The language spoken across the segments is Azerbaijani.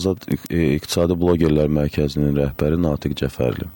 Azad İqtisadi Blogerlər Mərkəzinin rəhbəri Natiq Cəfərli.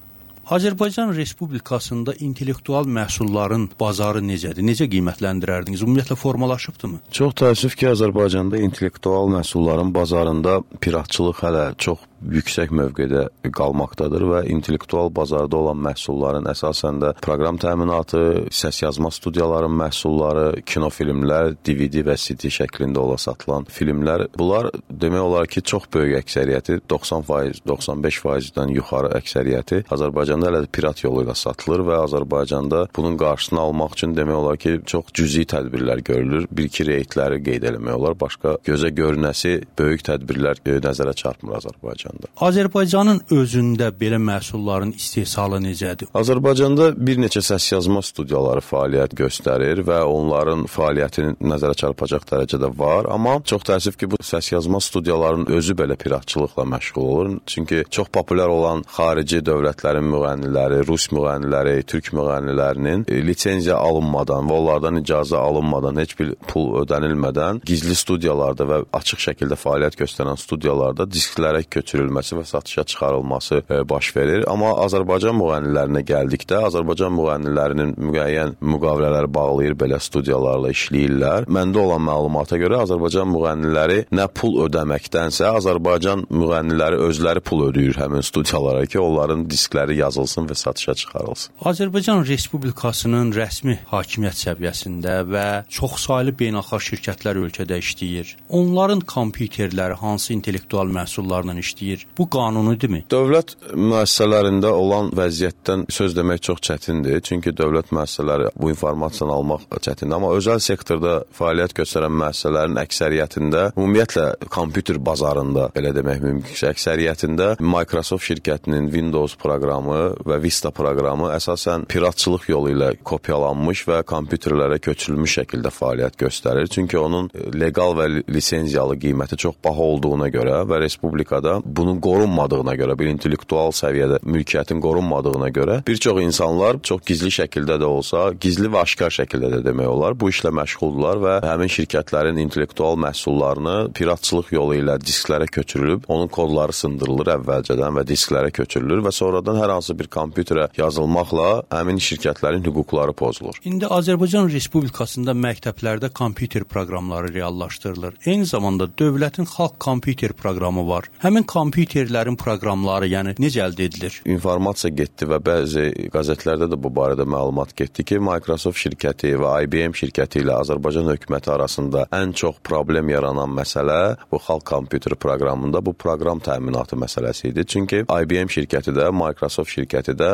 Azərbaycan Respublikasında intellektual məhsulların bazarı necədir? Necə qiymətləndirərdiniz? Ümumiyyətlə formalaşıbdırmı? Çox təəssüf ki, Azərbaycanda intellektual məhsulların bazarında piratçılıq hələ çox yüksək mövqedə qalmaqdadır və intellektual bazarda olan məhsulların əsasən də proqram təminatı, səs yazma studiyaların məhsulları, kinofilmlər, DVD və CD şəklində ola satılan filmlər, bunlar demək olar ki, çox böyük əksəriyyəti, 90%, 95%-dən yuxarı əksəriyyəti Azərbaycanda hələ pirat yolu ilə satılır və Azərbaycanda bunun qarşısını almaq üçün demək olar ki, çox cüzi tədbirlər görülür. Bir-iki reytləri qeyd eləmək olar. Başqa gözə görünəsi böyük tədbirlər nəzərə çarpmır Azərbaycanda. Azərbaycanın özündə belə məhsulların istehsalı necədir? Azərbaycanda bir neçə səs yazma studiyaları fəaliyyət göstərir və onların fəaliyyətini nəzərə çarpacaq dərəcədə var, amma çox təəssüf ki, bu səs yazma studiyaların özü belə piratçılıqla məşğul olur. Çünki çox populyar olan xarici dövlətlərin müğənniləri, rus müğənniləri, türk müğənnilərinin lisenziya alınmadan və onlardan icazə alınmadan, heç bir pul ödənilmədən gizli studiyalarda və açıq şəkildə fəaliyyət göstərən studiyalarda disklərə köçürülməsi və satışa çıxarılması baş verir. Amma Azərbaycan müğənnilərinə gəldikdə, Azərbaycan müğənnilərinin müəyyən müqavilələr bağlayır, belə studiyalarla işləyirlər. Məndə olan məlumata görə Azərbaycan müğənniləri nə pul ödəməkdənsə, Azərbaycan müğənniləri özləri pul ödəyir həmin studiyalara ki, onların diskləri yazılsın və satışa çıxarılsın. Azərbaycan Respublikasının rəsmi hakimiyyət səviyyəsində və çoxsaylı beynəlxalq şirkətlər ölkədə işləyir. Onların kompüterləri hansı intellektual məhsullarla işləyir? Bu qanunidirmi? Dövlət müəssisələrində olan vəziyyətdən söz demək çox çətindir. Çünki dövlət müəssisələri bu informasiyanı almaq çətindir. Amma özəl sektorda fəaliyyət göstərən müəssisələrin əksəriyyətində, ümumiyyətlə kompüter bazarında, belə demək mümkünsə, əksəriyyətində Microsoft şirkətinin Windows proqramı və Vista proqramı əsasən piratçılıq yolu ilə kopyalanmış və kompüterlərə köçürülmüş şəkildə fəaliyyət göstərir. Çünki onun leqal və lisenziyalı qiyməti çox baha olduğuna görə və respublikada bunun qorunmadığına görə, bir intellektual səviyyədə mülkiyyətin qorunmadığına görə bir çox insanlar çox gizli şəkildə də olsa, gizli və aşkar şəkildə də demək olar, bu işlə məşğuldurlar və həmin şirkətlərin intellektual məhsullarını piratçılıq yolu ilə disklərə köçürülüb, onun kodları sındırılır əvvəlcədən və disklərə köçürülür və sonradan hər hansı bir kompüterə yazılmaqla həmin şirkətlərin hüquqları pozulur. İndi Azərbaycan Respublikasında məktəblərdə kompüter proqramları reallaşdırılır. Eyni zamanda dövlətin xalq kompüter proqramı var. Həmin kompüterlərin proqramları, yəni necə əldə edilir? İnformasiya getdi və bəzi qəzetlərdə də bu barədə məlumat getdi ki, Microsoft şirkəti və IBM şirkəti ilə Azərbaycan hökuməti arasında ən çox problem yaranan məsələ bu xalq kompüter proqramında bu proqram təminatı məsələsi idi. Çünki IBM şirkəti də, Microsoft şirkəti də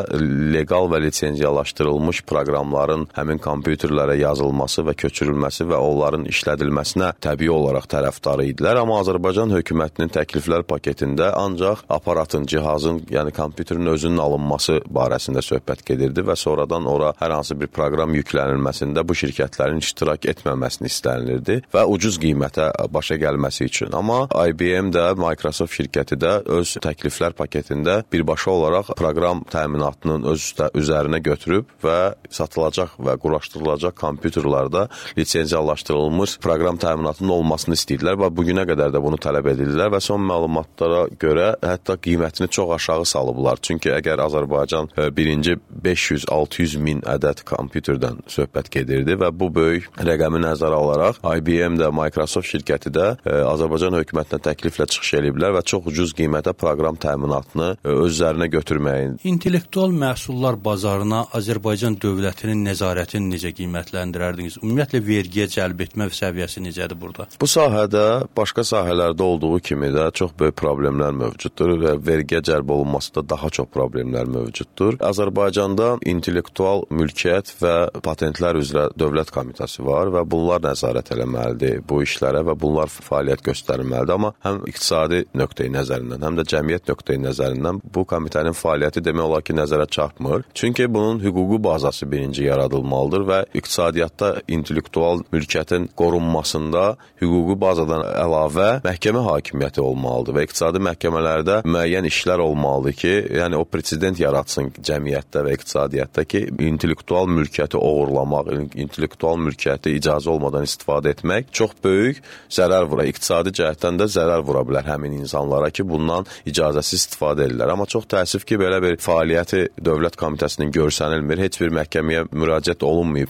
leqal və lisenziyalaşdırılmış proqramların həmin kompüterlərə yazılması və köçürülməsi və onların işlədilməsinə təbii olaraq tərəfdarı idilər. Amma Azərbaycan hökumətinin təkliflər paketində ancaq aparatın, cihazın, yəni kompüterin özünün alınması barəsində söhbət gedirdi və sonradan ora hər hansı bir proqram yüklənilməsində bu şirkətlərin iştirak etməməsini istənilirdi və ucuz qiymətə başa gəlməsi üçün. Amma IBM də, Microsoft şirkəti də öz təkliflər paketində birbaşa olaraq proqram təminatının öz üzərinə götürüb və satılacaq və quraşdırılacaq kompüterlərdə lisenziyalaşdırılmış proqram təminatının olmasını istəyirlər və bugünə qədər də bunu tələb edirlər və son məlumatlara görə hətta qiymətini çox aşağı salıblar. Çünki əgər Azərbaycan birinci 500-600 min ədəd kompüterdən söhbət gedirdi və bu böyük rəqəmi nəzərə alaraq IBM də, Microsoft şirkəti də Azərbaycan hökumətinə təkliflə çıxış ediblər və çox ucuz qiymətə proqram təminatını öz üzərinə götürməyin. İntellektual məhsullar bazarına Azərbaycan dövlətinin nəzarətini necə qiymətləndirərdiniz? Ümumiyyətlə vergiyə cəlb etmə səviyyəsi necədir burada? Bu sahədə başqa sahələrdə olduğu kimi də çox böyük problemlər mövcuddur və vergiyə cəlb olunmasında daha çox problemlər mövcuddur. Azərbaycanda intellektual mülkiyyət və patentlər üzrə dövlət komitəsi var və bunlar nəzarət eləməlidir bu işlərə və bunlar fəaliyyət göstərməlidir. Amma həm iqtisadi nöqteyi nəzərindən, həm də cəmiyyət nöqteyi nəzərindən bu komitənin fəaliyyəti demək olar ki, nəzərə çarpmır. Çünki bunun hüquqi bazası birinci yaradılmalıdır və iqtisadiyyatda intellektual mülkiyyətin qorunmasında hüquqi bazadan əlavə məhkəmə hakimiyyəti olmalıdır və iqtisadi məhkəmələrdə müəyyən işlər olmalıdır ki, yəni o president yaratsın cəmiyyətdə və iqtisadiyyatda ki, intellektual mülkiyyəti oğurlamaq, intellektual mülkiyyəti icazə olmadan istifadə etmək çox böyük zərər vura. İqtisadi cəhətdən də zərər vura bilər həmin insanlara ki, bundan icazəsiz istifadə edirlər. Amma çox təəssüf ki, belə bir fəaliyyəti Dövlət Komitəsinin görsənilmir, heç bir məhkəməyə müraciət olunmayıb.